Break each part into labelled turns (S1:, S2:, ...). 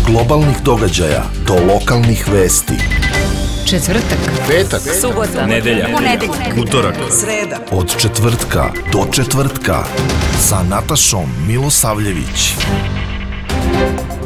S1: globalnih događaja do lokalnih vesti.
S2: Četvrtak,
S1: petak,
S3: subota,
S2: nedelja,
S1: utorak,
S3: sreda.
S1: Od četvrtka do četvrtka sa Natašom Milosavljević.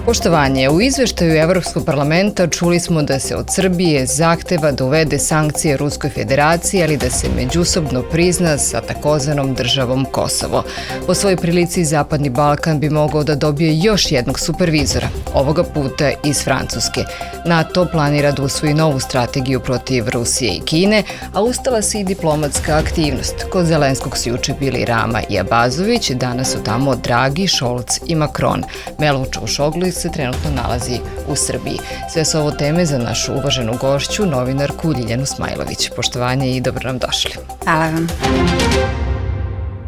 S2: Poštovanje, u izveštaju Evropskog parlamenta čuli smo da se od Srbije zahteva da uvede sankcije Ruskoj federaciji, ali da se međusobno prizna sa takozvanom državom Kosovo. Po svojoj prilici Zapadni Balkan bi mogao da dobije još jednog supervizora, ovoga puta iz Francuske. NATO planira da usvoji novu strategiju protiv Rusije i Kine, a ustala se i diplomatska aktivnost. Kod Zelenskog su juče bili Rama i Abazović, danas su tamo Dragi, Šolc i Macron. Melo Čaušoglu se trenutno nalazi u Srbiji. Sve su ovo teme za našu uvaženu gošću, novinarku Ljiljanu Smajlović. Poštovanje i dobro nam došli.
S4: Hvala vam.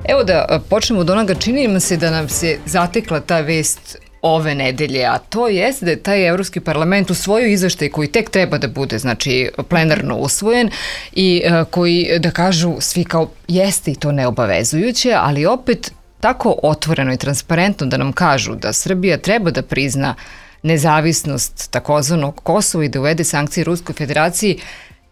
S2: Evo da počnemo od onoga, čini nam se da nam se zatekla ta vest ove nedelje, a to jeste da je taj Evropski parlament u svojoj izveštaj koji tek treba da bude, znači, plenarno usvojen i koji, da kažu svi kao jeste i to neobavezujuće, ali opet tako otvoreno i transparentno da nam kažu da Srbija treba da prizna nezavisnost takozvanog Kosova i da uvede sankcije Ruskoj federaciji,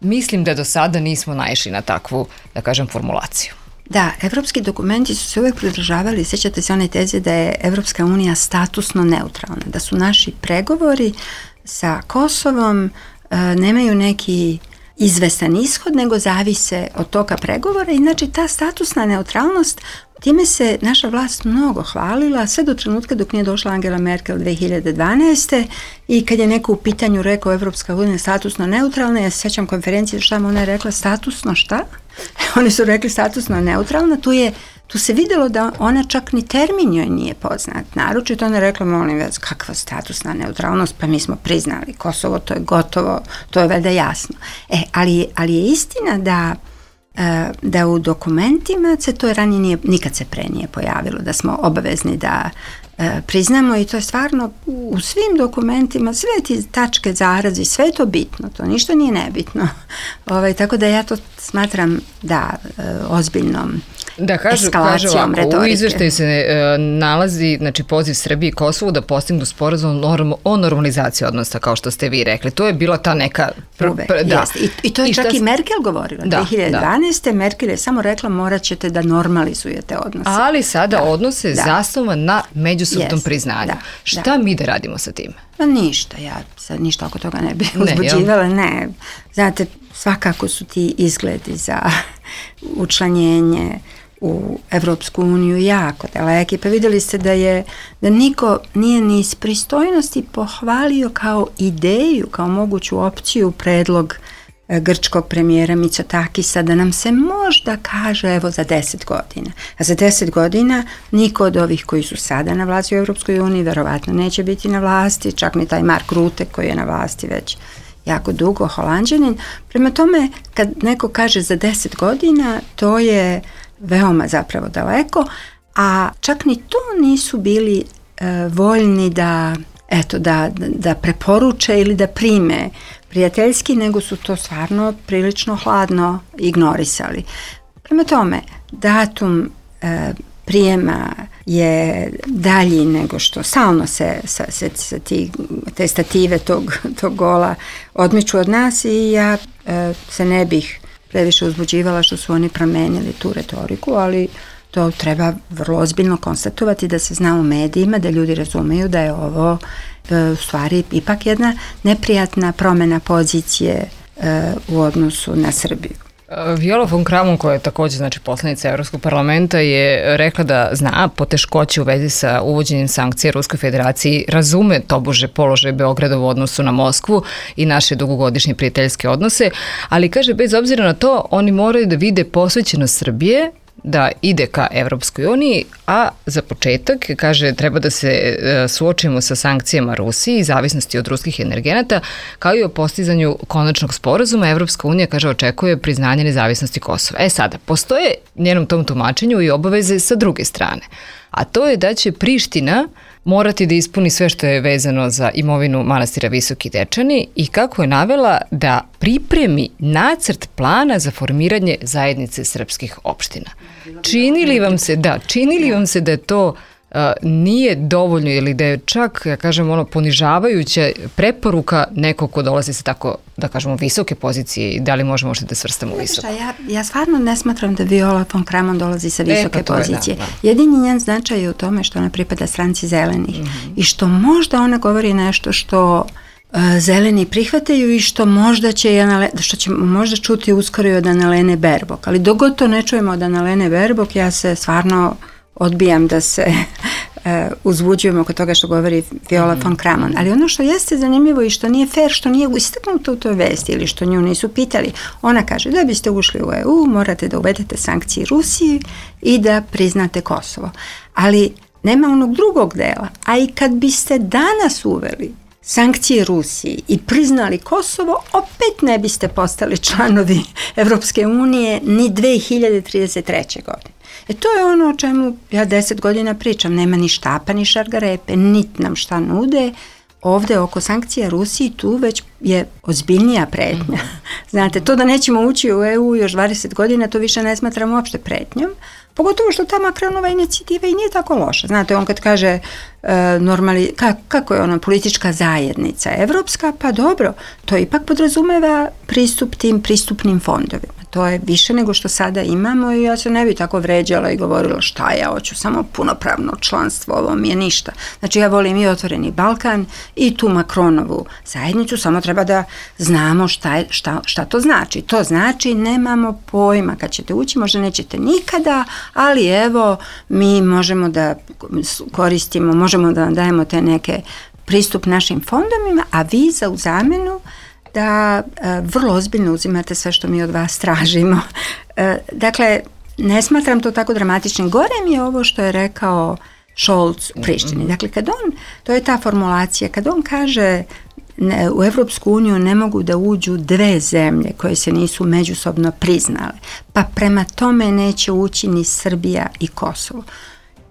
S2: mislim da do sada nismo naišli na takvu, da kažem, formulaciju.
S4: Da, evropski dokumenti su se uvek pridržavali, sjećate se one teze da je Evropska unija statusno neutralna, da su naši pregovori sa Kosovom nemaju neki izvestan ishod, nego zavise od toga pregovora i znači ta statusna neutralnost, time se naša vlast mnogo hvalila, sve do trenutka dok nije došla Angela Merkel 2012. I kad je neko u pitanju rekao Evropska unija statusno neutralna, ja se sjećam konferencije šta mu ona je rekla statusno šta? Oni su rekli statusno neutralna, tu se vidjelo da ona čak ni termin joj nije poznat. Naročito ona je rekla, molim vas, kakva statusna neutralnost, pa mi smo priznali Kosovo, to je gotovo, to je valjda jasno. Ali je istina da u dokumentima se to ranije nikad se pre nije pojavilo, da smo obavezni da priznamo i to je stvarno u svim dokumentima, sve ti tačke, zarazi, sve je to bitno, to ništa nije nebitno. Tako da ja to smatram ozbiljnom eskalacijom retorike.
S2: U izveštaju se nalazi, znači, poziv Srbiji i Kosovu da postignu sporazum o normalizaciji odnosa, kao što ste vi rekli. To je bila ta neka...
S4: I to je čak i Merkel govorila. 2012. Merkel je samo rekla morat ćete da normalizujete odnose.
S2: Ali sada odnose zasnovan na međusobnom priznanju. Šta mi da radimo sa tim?
S4: Pa ništa, ja sad ništa oko toga ne bih uzbuđivala, ne. Znate, svakako su ti izgledi za učlanjenje u Evropsku uniju jako daleki, pa vidjeli ste da niko nije ni iz pristojnosti pohvalio kao ideju, kao moguću opciju predlog grčkog premijera Mitsotakisa da nam se možda kaže evo za 10 godina. A za 10 godina niko od ovih koji su sada na vlasti u Evropskoj uniji verovatno neće biti na vlasti, čak ni taj Mark Rutte koji je na vlasti već jako dugo, Holanđanin. Prema tome, kad neko kaže za 10 godina, to je veoma zapravo daleko, a čak ni to nisu bili voljni da preporuče ili da prime prijateljski, nego su to stvarno prilično hladno ignorisali. Prema tome, datum prijema je dalji nego što stalno se te stative tog gola odmiču od nas i ja se ne bih previše uzbuđivala što su oni promenili tu retoriku, ali to treba vrlo ozbiljno konstatovati da se zna u medijima, da ljudi razumeju da je ovo u stvari ipak jedna neprijatna promjena pozicije u odnosu na Srbiju.
S2: Viola von Kramon, koja je također, znači, poslanica Evropskog parlamenta, je rekla da zna poteškoće u vezi sa uvođenjem sankcija Ruskoj federaciji, razume tobože položaj Beograda u odnosu na Moskvu i naše dugogodišnje prijateljske odnose, ali kaže, bez obzira na to, oni moraju da vide posvećenost Srbije da ide ka Evropskoj uniji, a za početak, kaže, treba da se suočimo sa sankcijama Rusiji i zavisnosti od ruskih energenata, kao i o postizanju konačnog sporazuma. Evropska unija, kaže, očekuje priznanje nezavisnosti Kosova. Sada, postoje njenom tom tumačenju i obaveze sa druge strane, a to je da će Priština morati da ispuni sve što je vezano za imovinu manastira Visoki Dečani i, kako je navela, da pripremi nacrt plana za formiranje zajednice srpskih opština. Čini li vam se da je to nije dovoljno ili da je čak, ja kažem, ponižavajuća preporuka nekog ko dolazi sa tako, da kažemo, visoke pozicije i da li možemo možda da svrstamo visoko?
S4: Ja stvarno ne smatram da Viola von Kramon dolazi sa visoke pozicije. Jedini njen značaj je u tome što ona pripada stranci zelenih i što možda ona govori nešto što zeleni prihvataju i što možda ćemo možda čuti uskoro i od Annalene Baerbock. Ali dok god to ne čujemo od Annalene Baerbock, ja se stvarno odbijam da se uzbuđujemo oko toga što govori Viola von Kramon. Ali ono što jeste zanimljivo i što nije fair, što nije istaknuto u toj vesti ili što nju nisu pitali, ona kaže da biste ušli u EU, morate da uvedete sankcije Rusiji i da priznate Kosovo. Ali nema onog drugog dela. A i kad biste danas uveli sankcije Rusiji i priznali Kosovo, opet ne biste postali članovi Evropske unije ni 2033. godine. To je ono o čemu ja 10 godina pričam. Nema ni štapa, ni šargarepe, niti nam šta nude. Ovde oko sankcija Rusiji tu već je ozbiljnija pretnja. Znate, to da nećemo ući u EU još 20 godina, to više ne smatram uopšte pretnjom. Pogotovo što ta Macronova inicijativa i nije tako loša. Znate, on kad kaže kako je ona politička zajednica evropska, pa dobro, to ipak podrazumeva pristup tim pristupnim fondovima. To je više nego što sada imamo i ja se ne bi tako vređala i govorila šta ja hoću, samo punopravno članstvo, ovo mi je ništa. Znači ja volim i Otvoreni Balkan i tu Macronovu zajednicu, samo treba da znamo šta to znači. To znači nemamo pojma kad ćete ući, možda nećete nikada, ali evo mi možemo da koristimo, možemo da vam dajemo te neke pristup našim fondovima, a vi za u zamenu da vrlo ozbiljno uzimate sve što mi od vas tražimo. Dakle, ne smatram to tako dramatičnim. Gore mi je ovo što je rekao Scholz u Prištini. Dakle, to je ta formulacija, kad on kaže u Evropsku uniju ne mogu da uđu dve zemlje koje se nisu međusobno priznale, pa prema tome neće ući ni Srbija i Kosovo.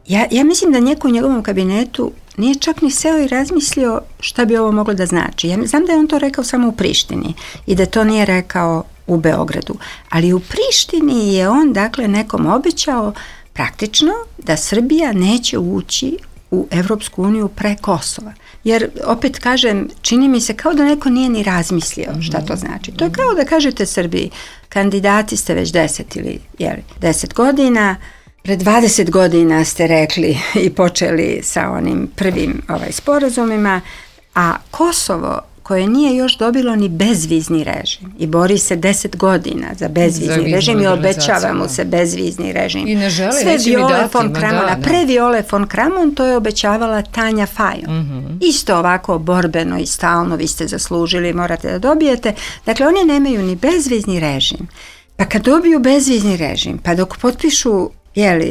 S4: Ja mislim da neko u njegovom kabinetu nije čak ni seo i razmislio šta bi ovo moglo da znači. Ja znam da je on to rekao samo u Prištini i da to nije rekao u Beogradu. Ali u Prištini je on dakle nekom obećao praktično da Srbija neće ući u Evropsku uniju pre Kosova. Jer, opet kažem, čini mi se kao da neko nije ni razmislio šta to znači. To je kao da kažete Srbiji, kandidati ste već 10 godina, pred 20 godina ste rekli i počeli sa onim prvim sporazumima, a Kosovo koje nije još dobilo ni bezvizni režim i bori se 10 godina za bezvizni režim i obećava mu se bezvizni režim.
S2: I ne želi,
S4: sve Viole von Kramona, pre Viole von Kramon to je obećavala Tanja Fajon. Isto ovako borbeno i stalno, vi ste zaslužili, morate da dobijete. Dakle, oni nemaju ni bezvizni režim. Pa kad dobiju bezvizni režim, pa dok potpišu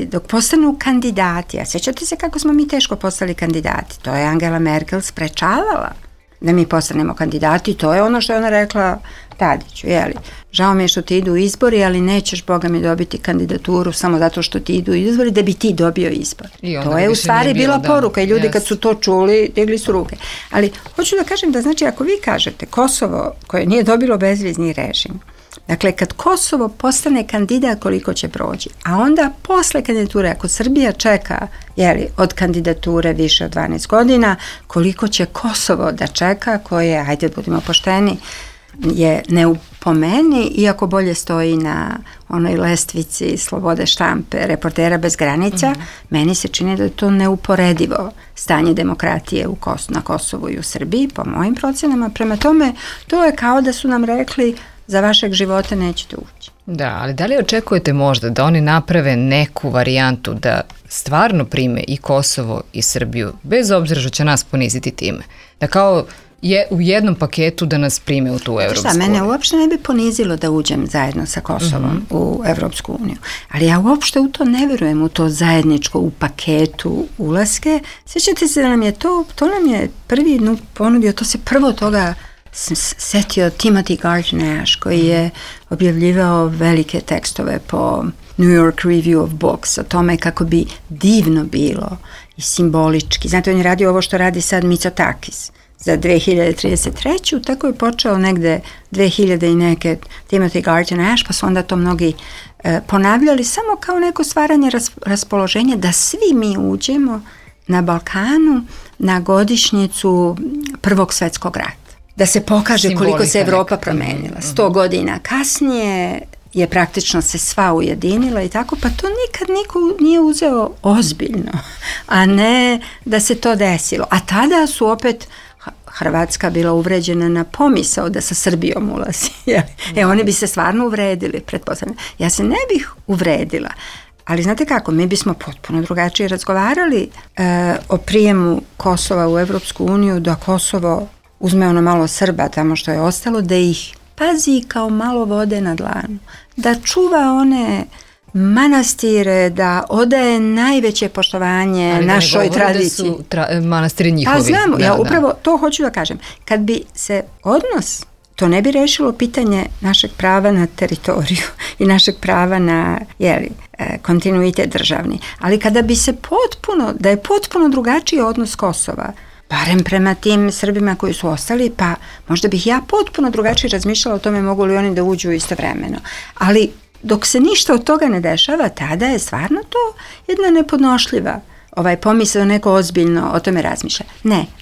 S4: dok postanu kandidati, a sjećate se kako smo mi teško postali kandidati, to je Angela Merkel sprečavala da mi postanemo kandidati, to je ono što je ona rekla Tadiću, žao mi je što ti idu izbori, ali nećeš, Boga mi, dobiti kandidaturu samo zato što ti idu izbori, da bi ti dobio izbor. To je u stvari bila poruka i ljudi kad su to čuli, digli su ruke. Ali hoću da kažem da, znači, ako vi kažete Kosovo koje nije dobilo bezvizni režim, dakle, kad Kosovo postane kandidat, koliko će proći, a onda posle kandidature, ako Srbija čeka od kandidature više od 12 godina, koliko će Kosovo da čeka, koje, hajde budimo pošteni, je neupomeni, iako bolje stoji na onoj lestvici slobode štampe Reportera bez granica, meni se čini da je to neuporedivo stanje demokratije na Kosovu i u Srbiji, po mojim procenama. Prema tome, to je kao da su nam rekli za vašeg života nećete ući.
S2: Da, ali da li očekujete možda da oni naprave neku varijantu da stvarno prime i Kosovo i Srbiju, bez obzira što će nas poniziti time? Da kao u jednom paketu da nas prime u tu Evropsku uniju.
S4: Mene uopšte ne bi ponizilo da uđem zajedno sa Kosovom u Evropsku uniju. Ali ja uopšte u to ne verujem, u to zajedničko u paketu ulaske. Sjećate se da nam je to nam je prvi ponudio, to se prvo toga setio Timothy Garton Ash, koji je objavljivao velike tekstove po New York Review of Books o tome kako bi divno bilo i simbolički. Znate, on je radio ovo što radi sad Mitsotakis za 2033. Tako je počeo negde 2000 i neke Timothy Garton Ash, pa su onda to mnogi ponavljali samo kao neko stvaranje raspoloženja da svi mi uđemo na Balkanu na godišnjicu Prvog svjetskog rata. Da se pokaže simbolika koliko se Evropa promenila. 100 godina kasnije je praktično se sva ujedinila i tako, pa to nikad niko nije uzeo ozbiljno, a ne da se to desilo. A tada su opet Hrvatska bila uvređena na pomisao da sa Srbijom ulazi. Oni bi se stvarno uvredili, pretpostavljam. Ja se ne bih uvredila, ali znate kako, mi bismo potpuno drugačije razgovarali o prijemu Kosova u Evropsku uniju, da Kosovo uzme ono malo Srba tamo što je ostalo, da ih pazi kao malo vode na dlanu, da čuva one manastire, da odaje najveće poštovanje ali našoj tradiciji.
S2: Da su manastiri njihovi.
S4: Pa znamo, ja upravo to hoću da kažem. Kad bi se odnos, to ne bi rešilo pitanje našeg prava na teritoriju i našeg prava na kontinuitet državni. Ali kada bi se da je potpuno drugačiji odnos Kosova, barem prema tim Srbima koji su ostali, pa možda bih ja potpuno drugačije razmišljala o tome mogu li oni da uđu istovremeno. Ali dok se ništa od toga ne dešava, tada je stvarno to jedna nepodnošljiva pomisao, neko ozbiljno o tome razmišlja.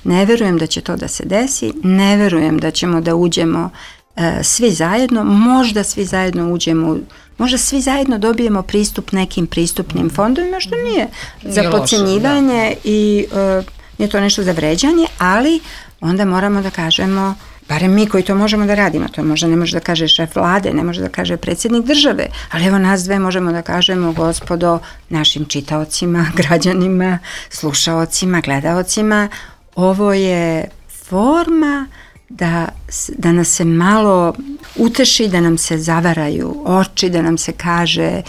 S4: Ne verujem da će to da se desi, ne verujem da ćemo da uđemo svi zajedno, možda svi zajedno uđemo, možda svi zajedno dobijemo pristup nekim pristupnim fondovima, što nije za podcjenjivanje i nije to nešto za vređanje, ali onda moramo da kažemo, barem mi koji to možemo da radimo, to možda ne može da kaže šef vlade, ne može da kaže predsjednik države, ali evo nas dve možemo da kažemo, gospodo, našim čitaocima, građanima, slušaocima, gledaocima, ovo je forma da nas se malo uteši, da nam se zavaraju oči, da nam se kaže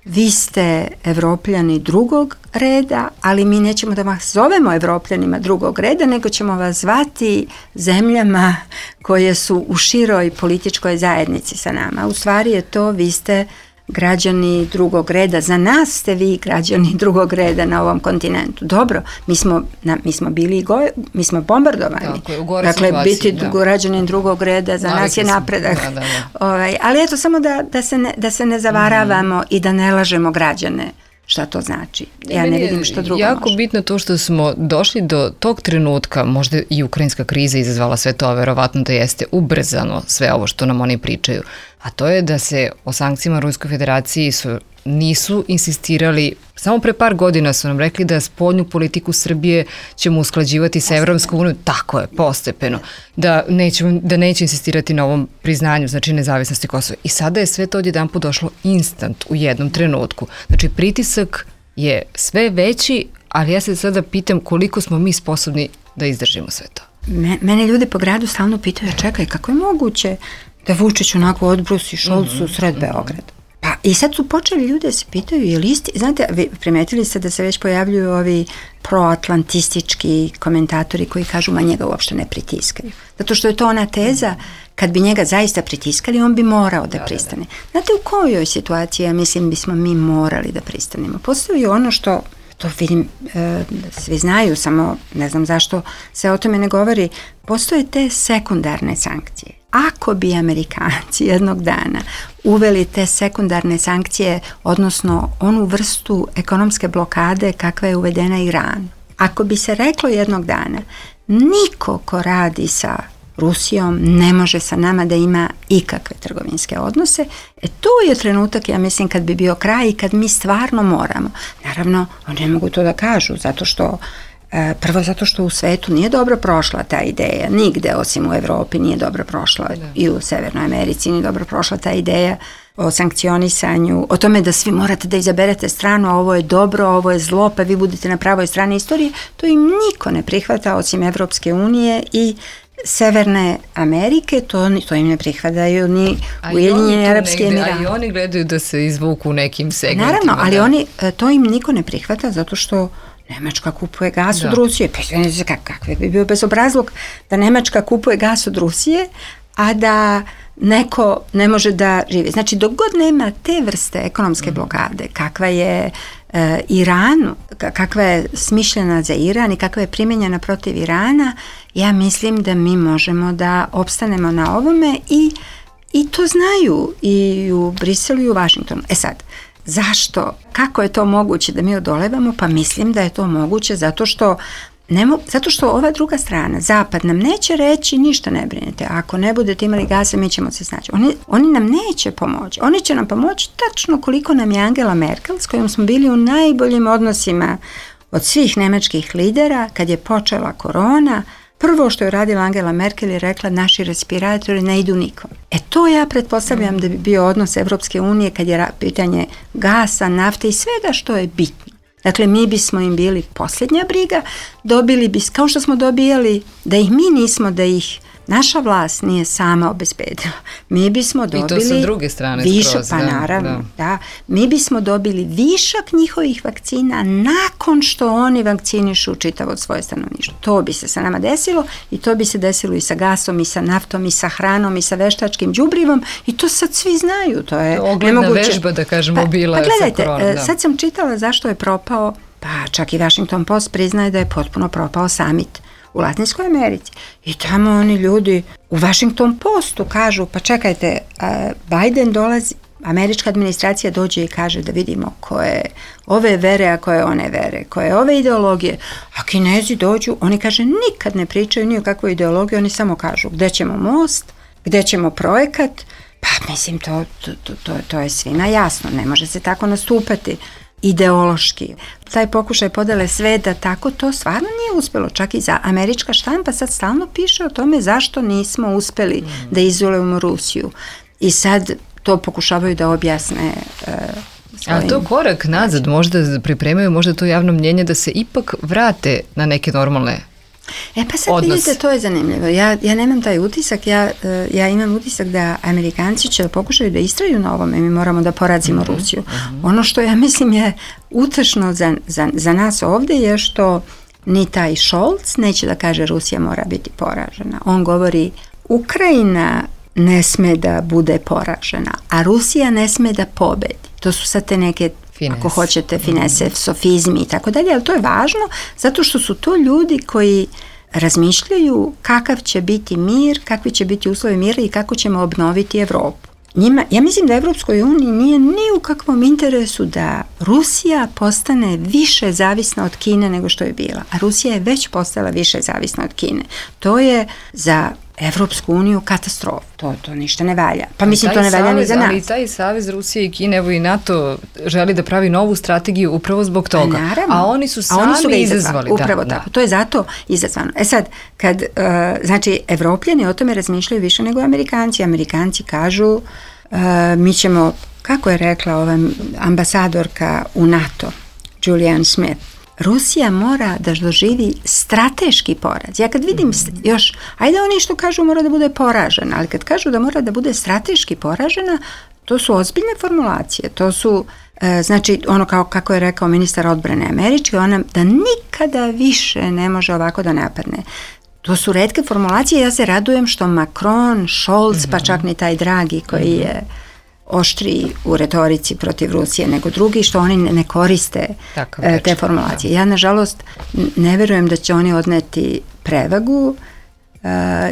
S4: vi ste Evropljani drugog reda, ali mi nećemo da vas zovemo Evropljanima drugog reda, nego ćemo vas zvati zemljama koje su u široj političkoj zajednici sa nama. U stvari je to, vi ste građani drugog reda, za nas ste vi građani drugog reda na ovom kontinentu. Dobro, mi smo bili mi smo bombardovani. Dakle, biti građanin drugog reda za nas je napredak. Ali eto, samo da se ne zavaravamo i da ne lažemo građane šta to znači. Ja ne vidim što drugo
S2: jako
S4: može.
S2: Bitno to što smo došli do tog trenutka, možda i ukrajinska kriza izazvala sve to, a verovatno da jeste ubrzano sve ovo što nam oni pričaju, a to je da se o sankcijama Ruskoj federaciji nisu insistirali, samo pre par godina su nam rekli da spoljnu politiku Srbije ćemo usklađivati sa Evropskom unijom, tako je, postepeno, da neće insistirati na ovom priznanju, znači nezavisnosti Kosova. I sada je sve to odjedanput došlo instant u jednom trenutku. Znači pritisak je sve veći, ali ja se sada pitam koliko smo mi sposobni da izdržimo sve to.
S4: Mene ljudi po gradu stalno pitaju, čekaj, kako je moguće da Vučić onako odbrusi Šolcu sred Beograda? Pa i sad su počeli ljudi da se pitaju, je li isti, znate, vi primetili ste da se već pojavljuju ovi proatlantistički komentatori koji kažu, ma njega uopšte ne pritiskaju. Zato što je to ona teza, kad bi njega zaista pritiskali, on bi morao da pristane. Znate u kojoj situaciji, ja mislim, bismo mi morali da pristanemo? Postoji ono što, to vidim, svi znaju, samo ne znam zašto se o tome ne govori, postoje te sekundarne sankcije. Ako bi Amerikanci jednog dana uveli te sekundarne sankcije, odnosno onu vrstu ekonomske blokade kakva je uvedena Iranu, ako bi se reklo jednog dana, niko ko radi sa Rusijom ne može sa nama da ima ikakve trgovinske odnose, to je trenutak, ja mislim, kad bi bio kraj i kad mi stvarno moramo. Naravno, oni ne mogu to da kažu, prvo zato što u svetu nije dobro prošla ta ideja, nigde osim u Evropi nije dobro prošla, i u Severnoj Americi nije dobro prošla ta ideja o sankcionisanju, o tome da svi morate da izaberete stranu, a ovo je dobro, a ovo je zlo, pa vi budete na pravoj strani istorije. To im niko ne prihvata osim Evropske unije i Severne Amerike, to im ne prihvataju ni Ujedinjeni Arapski Emirati.
S2: A i oni gledaju da se izvuku u nekim segmentima.
S4: Naravno, ali to im niko ne prihvata zato što Nemačka kupuje gas od Rusije. Pa kakve bi bio bezobrazluk da Nemačka kupuje gas od Rusije, a da neko ne može da živi. Znači, dok god nema te vrste ekonomske blokade, kakva je Iranu, kakva je smišljena za Iran i kakva je primjenjena protiv Irana, ja mislim da mi možemo da opstanemo na ovome i to znaju i u Briselu i u Vašingtonu. Sad, Zašto? Kako je to moguće da mi odolevamo? Pa mislim da je to moguće zato što ova druga strana, Zapad, nam neće reći ništa ne brinete. Ako ne budete imali gasa, mi ćemo se snaći. Oni nam neće pomoći. Oni će nam pomoći tačno koliko nam je Angela Merkel, s kojom smo bili u najboljim odnosima od svih nemačkih lidera, kad je počela korona. Prvo što je radila Angela Merkel je rekla naši respiratori ne idu nikom. To ja pretpostavljam da bi bio odnos Evropske unije kad je pitanje gasa, nafte i svega što je bitno. Dakle, mi bismo im bili posljednja briga, dobili bi, kao što smo dobijali, da ih mi nismo, da ih naša vlast nije sama obezbedila. Mi bismo dobili...
S2: I to sa druge strane
S4: višak, pa naravno, da. Mi bismo dobili višak njihovih vakcina nakon što oni vakcinišu čitavo svoje stanovništvo. To bi se sa nama desilo i to bi se desilo i sa gasom, i sa naftom, i sa hranom, i sa veštačkim đubrivom i to sad svi znaju. To je
S2: ogledna vežba, da kažemo, bila je sa koronom.
S4: Sad sam čitala zašto je propao, pa čak i Washington Post priznaje da je potpuno propao summit u Latinskoj Americi. I tamo oni ljudi u Washington Postu kažu, pa čekajte, Biden dolazi, američka administracija dođe i kaže da vidimo koje ove vere, a koje one vere, koje ove ideologije. A Kinezi dođu, oni kaže nikad ne pričaju ni o kakvoj ideologiji, oni samo kažu gde ćemo most, gde ćemo projekat. Pa mislim, to je svima jasno, ne može se tako nastupati ideološki. Taj pokušaj podele sveta tako, to stvarno nije uspjelo. Čak i za američka štampa sad stalno piše o tome zašto nismo uspjeli da izolujemo Rusiju. I sad to pokušavaju da objasne svojim...
S2: A to korak nazad, možda pripremaju, možda to javno mnjenje da se ipak vrate na neke normalne
S4: pa sad vidite, to je zanimljivo. Ja nemam taj utisak, ja imam utisak da Amerikanci će pokušaju da istraju na ovome, mi moramo da porazimo Rusiju. Ono što ja mislim je utešno za nas ovdje je što ni taj Scholz neće da kaže Rusija mora biti poražena. On govori Ukrajina ne sme da bude poražena, a Rusija ne sme da pobedi. To su sad te neke ako hoćete, finese, sofizmi i tako dalje, ali to je važno zato što su to ljudi koji razmišljaju kakav će biti mir, kakvi će biti uslovi mira i kako ćemo obnoviti Evropu. Ja mislim da Evropskoj uniji nije ni u kakvom interesu da Rusija postane više zavisna od Kine nego što je bila, a Rusija je već postala više zavisna od Kine. To je za Evropsku uniju katastrofa. To ništa ne valja. Pa mislim to ne valja ni za nas.
S2: Ali taj savez Rusije i Kine, evo i NATO želi da pravi novu strategiju upravo zbog toga.
S4: Naravno.
S2: A oni su sami izazvali.
S4: Upravo tako. To je zato izazvano. Sad, kad znači Evropljani o tome razmišljaju više nego Amerikanci. Amerikanci kažu mi ćemo, kako je rekla ova ambasadorka u NATO, Julian Smith, Rusija mora da doživi strateški poraz. Ja kad vidim još, ajde oni što kažu mora da bude poražena, ali kad kažu da mora da bude strateški poražena, to su ozbiljne formulacije. To su, znači, ono kako je rekao ministar odbrane američki, ona da nikada više ne može ovako da napadne. To su retke formulacije. Ja se radujem što Macron, Scholz, pa čak ni taj Draghi koji je oštriji u retorici protiv Rusije nego drugi, što oni ne koriste te formulacije. Ja, nažalost, ne verujem da će oni odneti prevagu.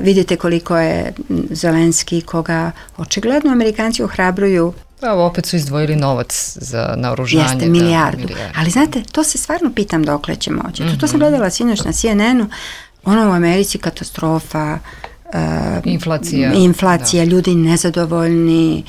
S4: Vidite koliko je Zelenski, koga očigledno Amerikanci ohrabruju.
S2: Pa opet su izdvojili novac za naoružanje.
S4: Jeste, milijardu. Ali znate, to se stvarno pitam dokle će moći. To sam gledala sinoć na CNN-u. Ono u Americi katastrofa, inflacija, ljudi nezadovoljni,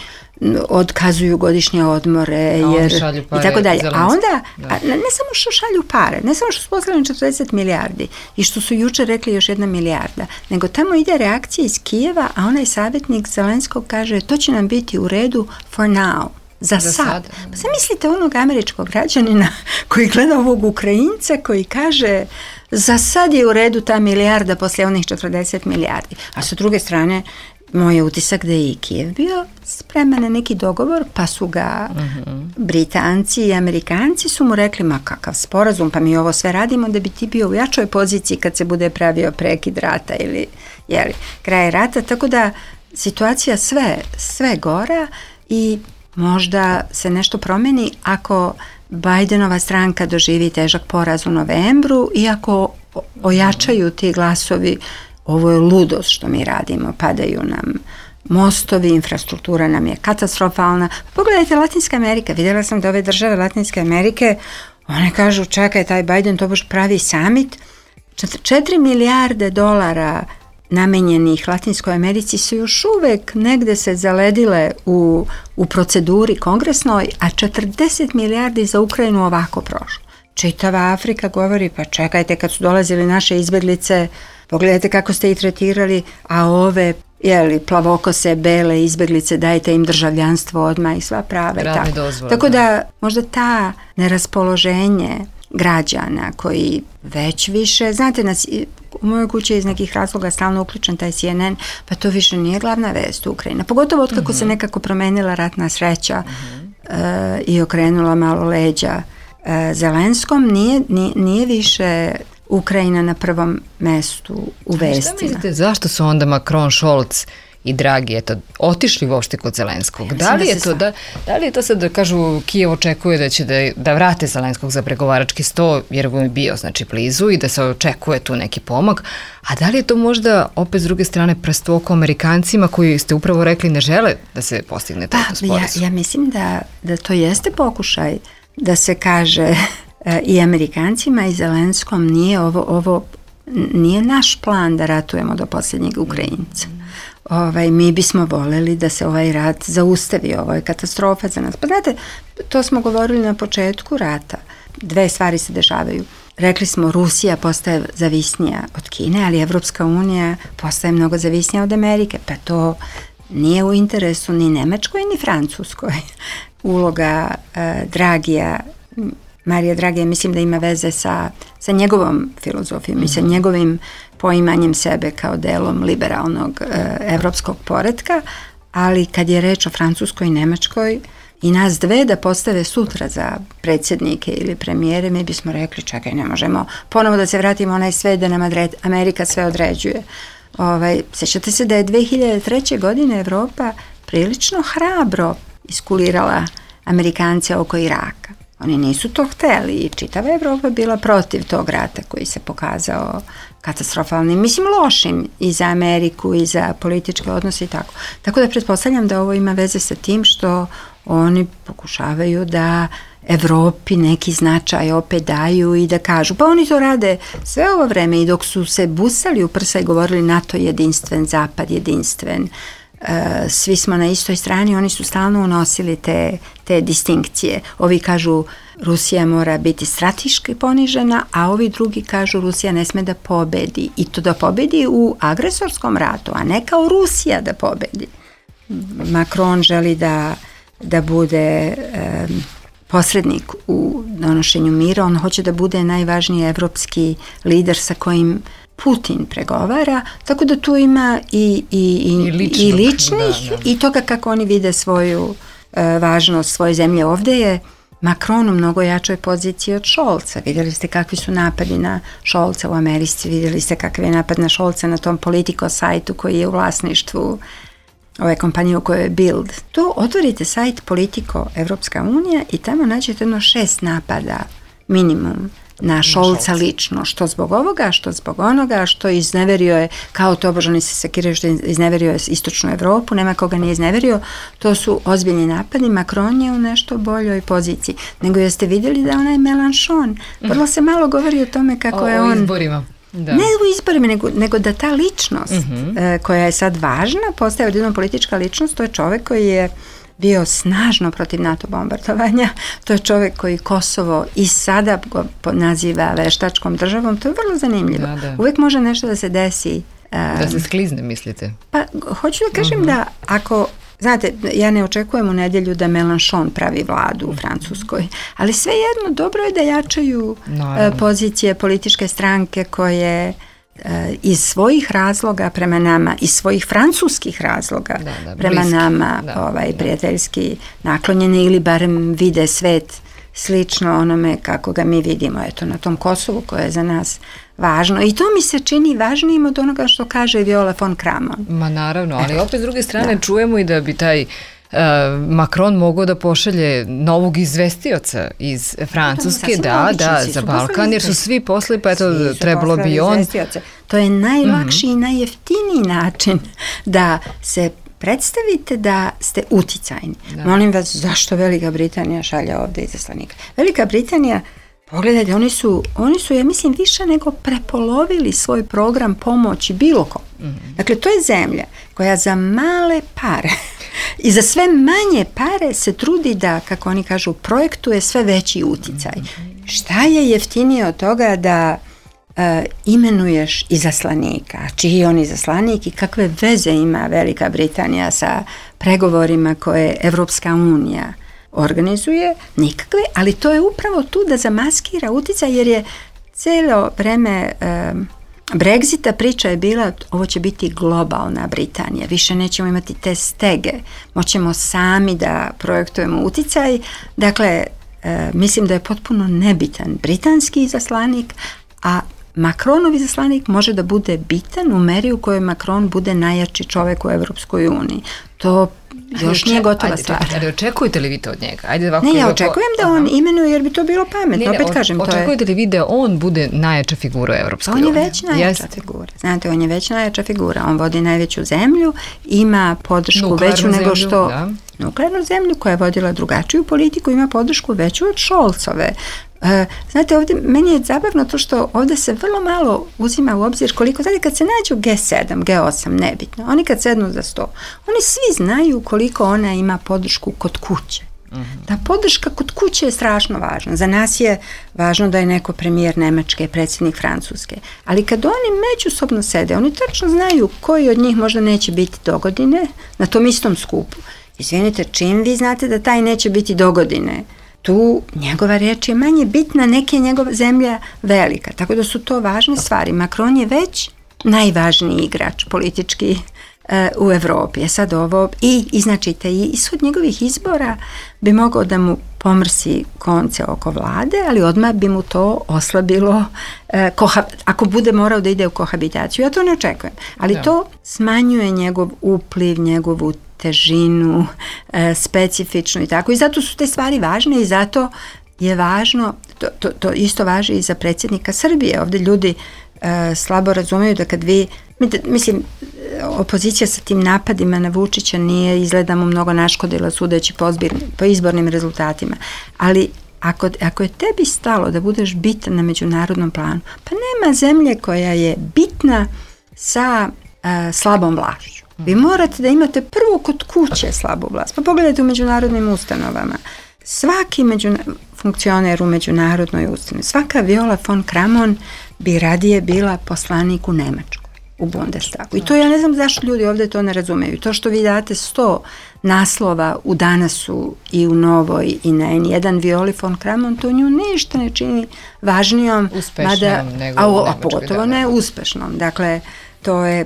S4: otkazuju godišnje odmore i tako dalje. A onda, ne samo što šalju pare, ne samo što su poslali 40 milijardi i što su jučer rekli još 1 milijarda, nego tamo ide reakcija iz Kijeva, a onaj savjetnik Zelenskog kaže to će nam biti u redu for now. Za sad. Pa zamislite onog američkog građanina koji gleda ovog Ukrajinca koji kaže za sad je u redu ta milijarda poslije onih 40 milijardi. A sa druge strane, moj je utisak da je i Kijev bio spreman na neki dogovor, pa su ga Britanci i Amerikanci su mu rekli, ma kakav sporazum, pa mi ovo sve radimo da bi ti bio u jačoj poziciji kad se bude pravio prekid rata ili kraj rata, tako da situacija sve gora i možda se nešto promeni ako Bidenova stranka doživi težak poraz u novembru i ako ojačaju ti glasovi, ovo je ludost što mi radimo, padaju nam mostovi, infrastruktura nam je katastrofalna. Pogledajte Latinska Amerika, vidjela sam da ove države Latinske Amerike, one kažu čekaj, taj Biden to baš pravi summit, 4 milijarde dolara namenjenih Latinskoj Americi su još uvek negde se zaledile u proceduri kongresnoj, a 40 milijardi za Ukrajinu ovako prošlo. Čitava Afrika govori, pa čekajte, kad su dolazili naše izbeglice, pogledajte kako ste ih tretirali, a ove plavokose, bele izbeglice, dajte im državljanstvo odmah i sva prava. Tako da možda ta neraspoloženje građana koji već više, znate, u mojoj kući je iz nekih razloga stalno uključen taj CNN, pa to više nije glavna vest u Ukrajini. Pogotovo otkako se nekako promenila ratna sreća i okrenula malo leđa Zelenskom, nije više Ukrajina na prvom mestu u vestima.
S2: Šta mislite, zašto su onda Macron, Scholz i Dragi otišli uopšte kod Zelenskog? Da li je to sad da kažu Kijev očekuje da će da vrate Zelenskog za pregovarački sto, jer mu je bio blizu i da se očekuje tu neki pomak, a da li je to možda opet s druge strane prst u oko Amerikancima koji ste upravo rekli ne žele da se postigne taj sporazum?
S4: Ja mislim da to jeste pokušaj da se kaže i Amerikancima i Zelenskom nije naš plan da ratujemo do posljednjeg Ukrajinca. Mi bismo voljeli da se ovaj rat zaustavi, ovo je katastrofa za nas. Pa znate, to smo govorili na početku rata. Dve stvari se dešavaju. Rekli smo, Rusija postaje zavisnija od Kine, ali Evropska unija postaje mnogo zavisnija od Amerike, pa to nije u interesu ni Nemačkoj ni Francuskoj. Uloga Dragija, Marija Dragija, mislim da ima veze sa njegovom filozofijom i sa njegovim poimanjem sebe kao delom liberalnog evropskog poretka, ali kad je reč o Francuskoj i Nemačkoj i nas dve da postave sutra za predsjednike ili premijere, mi bismo rekli čekaj, ne možemo ponovo da se vratimo onaj svet da nam Amerika sve određuje. Sjećate se da je 2003. godine Evropa prilično hrabro iskulirala Amerikance oko Iraka. Oni nisu to hteli i čitava Evropa bila protiv tog rata koji se pokazao katastrofalnim, mislim lošim i za Ameriku i za političke odnose i tako. Tako da pretpostavljam da ovo ima veze sa tim što oni pokušavaju da Evropi neki značaj opet daju i da kažu, pa oni to rade sve ovo vreme i dok su se busali u prsa i govorili NATO jedinstven, Zapad jedinstven, svi smo na istoj strani, oni su stalno unosili te distinkcije. Ovi kažu Rusija mora biti strateški ponižena, a ovi drugi kažu Rusija ne sme da pobedi i to da pobedi u agresorskom ratu, a ne kao Rusija da pobedi. Macron želi da bude posrednik u donošenju mira, on hoće da bude najvažniji evropski lider sa kojim Putin pregovara, tako da tu ima i ličnih i toga kako oni vide svoju važnost svoje zemlje. Ovdje je Macron u mnogo jačoj poziciji od Scholza. Vidjeli ste kakvi su napadi na Scholza u Americi, vidjeli ste kakav je napad na Scholza na tom Politico sajtu koji je u vlasništvu ove kompanije u kojoj je Bild. Tu otvorite sajt Politico Evropska unija i tamo nađete 6 napada minimum na Scholza lično, što zbog ovoga, što zbog onoga, što izneverio je, kao to bože oni se sekiraju što izneverio je istočnu Evropu, nema koga nije izneverio, to su ozbiljni napadi. Macron je u nešto boljoj poziciji. Nego jeste vidjeli da onaj Mélenchon, vrlo se malo govori o tome kako je on...
S2: O izborima. Da.
S4: Ne u izborima, nego da ta ličnost koja je sad važna, postaje odjednom politička ličnost, to je čovjek koji je bio snažno protiv NATO bombardovanja, to je čovjek koji Kosovo i sada go naziva veštačkom državom, to je vrlo zanimljivo. Da. Uvijek može nešto da se desi.
S2: Da se sklizne, mislite?
S4: Pa, hoću da kažem da ako, znate, ja ne očekujem u nedjelju da Mélenchon pravi vladu u Francuskoj, ali svejedno dobro je da jačaju pozicije političke stranke koje iz svojih razloga prema nama, iz svojih francuskih razloga prema nama prijateljski naklonjene ili barem vide svet slično onome kako ga mi vidimo, eto, na tom Kosovu koje je za nas važno. I to mi se čini važnijim od onoga što kaže Viola von Kramon.
S2: Ma naravno, ali opet s druge strane čujemo i da bi taj Macron mogao da pošalje novog izvestioca iz Francuske, za Balkan, jer su svi posle, pa eto, trebalo bi on.
S4: To je najlakši i najjeftiniji način da se predstavite da ste uticajni. Molim vas, zašto Velika Britanija šalje ovde izaslanika? Velika Britanija, pogledajte, oni su, ja mislim, više nego prepolovili svoj program pomoći bilo kom. Dakle, to je zemlja koja za male pare i za sve manje pare se trudi da, kako oni kažu, projektuje sve veći uticaj. Šta je jeftinije od toga da imenuješ izaslanika? Čiji je on izaslanik i kakve veze ima Velika Britanija sa pregovorima koje Evropska unija organizuje? Nikakve, ali to je upravo tu da zamaskira uticaj, jer je cijelo vreme Brexita priča je bila, ovo će biti globalna Britanija, više nećemo imati te stege, moćemo sami da projektujemo uticaj. Dakle, mislim da je potpuno nebitan britanski izaslanik, a Macronov izaslanik može da bude bitan u meri u kojoj Macron bude najjači čovjek u Evropskoj uniji. To još nije gotova stvar.
S2: Ali očekujete li vi to od njega? Ajde, ovako,
S4: ne, ja očekujem da on imenuje, jer bi to bilo pametno. Opet kažem,
S2: očekujete li vi da on bude najjača figura u Evropskoj uniji?
S4: On je već najjača figura. Znate, on je već najjača figura. On vodi najveću zemlju, ima podršku veću nego što... Da. Nuklearnu zemlju koja je vodila drugačiju politiku, ima podršku veću od Scholzove. Znate, ovdje meni je zabavno to što ovdje se vrlo malo uzima u obzir koliko, znate, kad se nađu G7, G8, nebitno, oni kad sednu za sto, oni svi znaju koliko ona ima podršku kod kuće. Ta podrška kod kuće je strašno važna. Za nas je važno da je neko premijer Nemačke, predsjednik Francuske. Ali kad oni međusobno sede, oni tačno znaju koji od njih možda neće biti dogodine na tom istom skupu. Izvinite, čim vi znate da taj neće biti dogodine, tu njegova reč je manje bitna, neke njegova zemlja velika. Tako da su to važne stvari. Macron je već najvažniji igrač politički u Evropi. Sad ovo, i znači taj ishod njegovih izbora bi mogao da mu pomrsi konce oko vlade, ali odmah bi mu to oslabilo ako bude morao da ide u kohabitaciju. Ja to ne očekujem. Ali to smanjuje njegov upliv, njegovu težinu, specifičnu i tako. I zato su te stvari važne i zato je važno, to isto važi i za predsjednika Srbije. Ovdje ljudi slabo razumeju da kad vi, mislim, opozicija sa tim napadima na Vučića nije, izgleda mu mnogo naškodila sudeći po izbornim rezultatima. Ali ako je tebi stalo da budeš bitan na međunarodnom planu, pa nema zemlje koja je bitna sa slabom vlašću. Vi morate da imate prvo kod kuće slabu vlast. Pa pogledajte u međunarodnim ustanovama. Svaki funkcioner u međunarodnoj ustanovi, svaka Viola von Kramon bi radije bila poslanik u Nemačkoj, u Bundestagu. I to ja ne znam zašto ljudi ovdje to ne razumeju. To što vi date 100 naslova u Danasu i u Novoj i na N1 Violi von Kramon, to nju ništa ne čini važnijom.
S2: Uspešnom nego
S4: a pogotovo ne uspešnom. Dakle, to je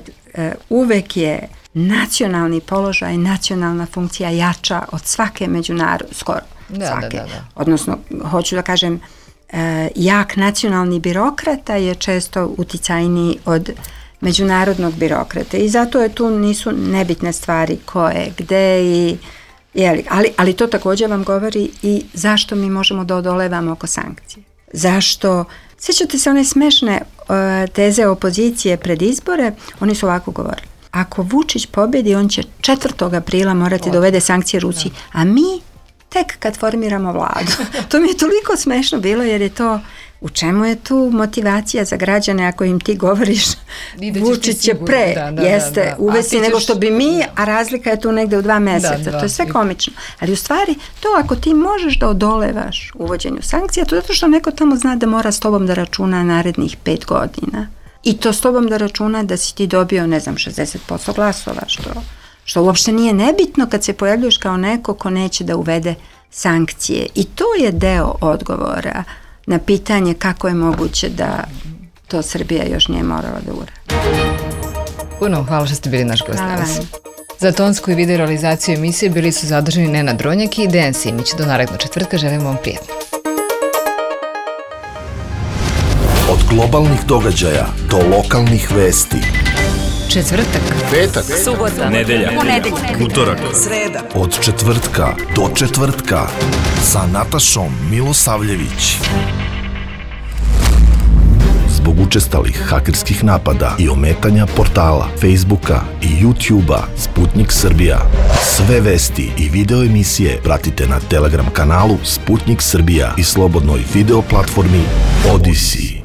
S4: uvek je nacionalni položaj, nacionalna funkcija jača od svake skoro svake. Da. Odnosno, hoću da kažem, jak nacionalni birokrata je često uticajniji od međunarodnog birokrata i zato je tu nisu nebitne stvari koje, gde i ali to također vam govori i zašto mi možemo da odolevamo oko sankcije. Zašto? Sjećate se one smešne teze opozicije pred izbore, oni su ovako govorili. Ako Vučić pobjedi, on će 4. aprila morati da uvede sankcije Rusiji, a mi tek kad formiramo vladu. To mi je toliko smešno bilo jer je to, u čemu je tu motivacija za građane ako im ti govoriš Vučić će pre, uvesti nego što bi mi, a razlika je tu negde u 2 mjeseca. To je sve komično. Ali u stvari, to ako ti možeš da odolevaš uvođenju sankcija, to je zato što neko tamo zna da mora s tobom da računa narednih 5 godina. I to s tobom da računa da si ti dobio, 60% glasova, što uopšte nije nebitno kad se pojavljuješ kao neko ko neće da uvede sankcije. I to je deo odgovora na pitanje kako je moguće da to Srbija još nije morala da uradi.
S2: Puno hvala što ste bili naš gost danas. Za tonsku i video realizaciju emisije bili su zadržani Nenad Dronjak i Dejan Simić. Do narednog četvrtka, želim vam prijatno.
S1: Od globalnih događaja do lokalnih vesti.
S2: Četvrtak,
S1: petak,
S3: subota,
S1: nedelja, utorak,
S3: sreda.
S1: Od četvrtka do četvrtka sa Natašom Milosavljević. Zbog zbog učestalih hakerskih napada i ometanja portala, Facebooka i YouTubea Sputnik Srbija. Sve vesti i video emisije pratite na Telegram kanalu Sputnik Srbija i slobodnoj video platformi Odyssey.